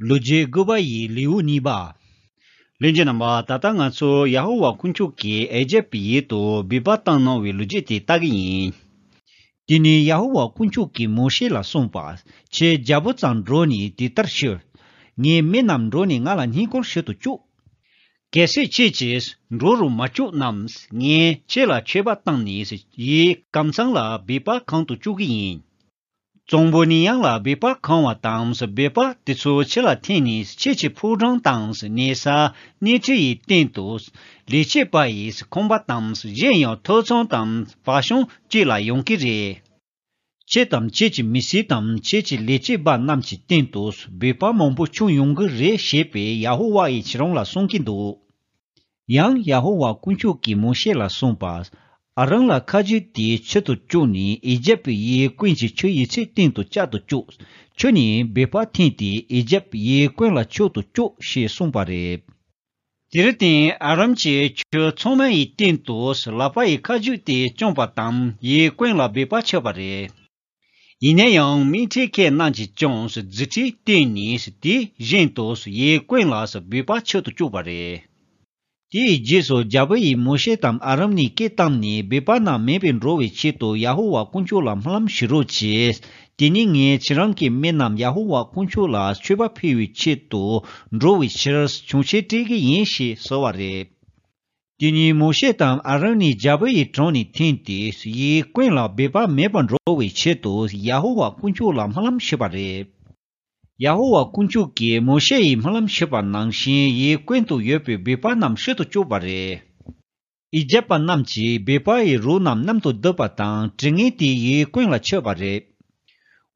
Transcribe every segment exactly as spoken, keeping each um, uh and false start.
ལོ་རྒྱུས་དགུ་པ་ཡི་ལེའུ་གཉིས་པ། ལྷན་རྒྱས་རྣམ་པ། ད་ལྟ་ང་ཚོ་ཡ་ཧོ་ཝཱ་དཀོན་མཆོག་གིས་ཨི་ཇེབ་ཡུལ་དུ་སྦས་པ་བཏང་གནང་བའི་ལོ་རྒྱུས་དེ་ལྟ་གི་ཡིན། དེ་ནས་ཡ་ཧོ་ཝཱ་དཀོན་མཆོག་གིས་མོ་ཤེ་ལ་གསུངས་པ། ཁྱེད་རྒྱལ་པོ་རྩར་འགྲོ་ནས་དེ་ལྟར་ཞུ། ངའི་མི་རྣམས་འགྲོ་ནས་ང་ལ་བསྙེན་བཀུར་ཞུ་དུ་བཅུག་གལ་སྲིད་ཁྱེད་ཀྱིས་འགྲོ་རུ་མ་བཅུག་ན། ངས་ཁྱེད་ལ་མཆོད་པ་བཏང་ནས་ཡུལ་ཀམ་ཚང་ལ་སྦས་པ་གང་དུ་བཅུག་གི་ཡིན། གཙང་པོ་ནས་ཡང་ལ་སྦས་པ་གང་བ་དང་། སྦས་པ་དེ་ཚོ་ཁྱེད་ལ་འཐེན་ནས་ཁྱེད་ཀྱི་ཕོ་བྲང་དང་གནས་ས་གནས་ཁྲི་ཡི་སྟེང་དུ། ལས་བྱེད་པ་ཡི་ཁང་པ་དང་གཞན་ཡང་ཐོ་ཚང་དང་བ་ཤང་བཅས་ལ་ཡོང་གི་རེད། ཁྱེད་དང་ཁྱེད་ཀྱི་མི་སེར་དང་ཁྱེད་ཀྱི་ལས་བྱེད་པ་རྣམས་ཀྱི་སྟེང་དུ་སྦས་པ་མང་པོ་བྱུང་ཡོང་གི་རེད་ཞེས་པས་ཡ་ཧོ་ཝཱ་ཡིས་ཁྱེད་རང་ལ་གསུང་གི་འདུག་ཡང་ཡ་ཧོ་ཝཱ་དཀོན་མཆོག་གིས་མོ་ཤེ་ལ་གསུངས་པ། ཨ་རོན་ལ་ཁ་རྗེ་དེ་ཁྱུ་དུ་བཅུག་ནས་ཨི་ཇེབ་ཡུལ་ཀུན་གྱི་ཁྱུ་ཡི་ཚེ་སྟེང་དུ་བཅའ་དུ་བཅུག་ཁྱུ་ནི་སྦས་པ་འཐེན་ཏེ་ཨི་ཇེབ་ཡུལ་ཀུན་ལ་ཁྱུ་དུ་བཅུག་ཞེས་གསུངས་པ་རེད། དེར་བརྟེན་ཨ་རོན་གྱིས་ཁྱུ་ཚང་མ་ཡི་སྟེང་དུ་ལག་པ་ཡི་ཁ་རྗེ་དེ་བཅངས་པ་དང་ཡུལ་ཀུན་ལ་སྦས་པ་ཆགས་པ་རེད། ཡིན་ན་ཡང་མི་ཁྲི་ཁས་རྣམས་ཀྱིས་ཀྱང་རྫུ་འཕྲུལ་བསྟན་ནས་དེ་བཞིན་དུ་ཡུལ་ཀུན་ལ་སྦས་པ་ཆགས་དུ་བཅུག་པ་རེད། དེའི་རྗེས་སུ་རྒྱལ་པོ་ཡིས་མོ་ཤེ་དང་ཨ་རོན་ནས་སྐད་བཏང་ནས་སྦས་པ་རྣམས་མེད་པར་འགྲོ་བའི་ཆེད་དུ་ཡ་ཧོ་ཝཱ་དཀོན་མཆོག་ལ་སྨོན་ལམ་ཞུ་རོགས་གྱིས། དེ་ནས་ངས་ཁྱེད་རང་གི་མི་རྣམས་ཡ་ཧོ་ཝཱ་དཀོན་མཆོག་ལ་མཆོད་པ་ཕུལ་བའི་ཆེད་དུ་འགྲོ་བའི་ཕྱིར་ཆོས་འཆད་སྤྲད་ཀྱི་ཡིན་ཞེས་ཟེར་བ་རེད། དེ་ནས་མོ་ཤེ་དང་ཨ་རོན་ནི་རྒྱལ་པོ་ཡི་དྲུང་ནས་འཐེན་ཏེ་ཡུལ་ཀུན་ལ་སྦས་པ་མེད་པར་འགྲོ་བའི་ཆེད་དུ་ཡ་ཧོ་ཝཱ་དཀོན་མཆོག་ལ་སྨོན་ལམ་ཞུས་པ་རེད། ཡ་ཧོ་ཝཱ་དཀོན་མཆོག་གིས་མོ་ཤེ་ཡིས་སྨོན་ལམ་ཞུས་པ་ནང་བཞིན་ཡུལ་ཀུན་ཏུ་ཡོད་པའི་སྦས་པ་རྣམས་ཞུ་དུ་བཅུག་པ་རེད། ཨི་ཇེབ་པ་རྣམས་ཀྱིས་སྦས་པ་ཡི་རོ་རྣམས་མཉམ་དུ་བསྡུས་པ་དང་དྲི་ངད་དེ་ཡུལ་ཀུན་ལ་མཆེད་པ་རེད།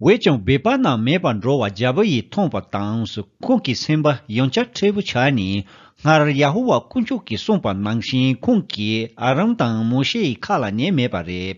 འོན་ཀྱང་སྦས་པ་རྣམས་མེད་པར་འགྲོ་བ་རྒྱལ་པོ་ཡིས་མཐོང་བ་དང་ཁོང་གི་སེམས་པ་ཡང་བསྐྱར་མཁྲེགས་པོ་ཆགས་ནས་སྔར་ཡ་ཧོ་ཝཱ་དཀོན་མཆོག་གིས་གསུངས་པ་ནང་བཞིན་ཁོང་གིས་ཨ་རོན་དང་མོ་ཤེ་ཡི་ཁ་ལ་ཉན་མེད་པ་རེད།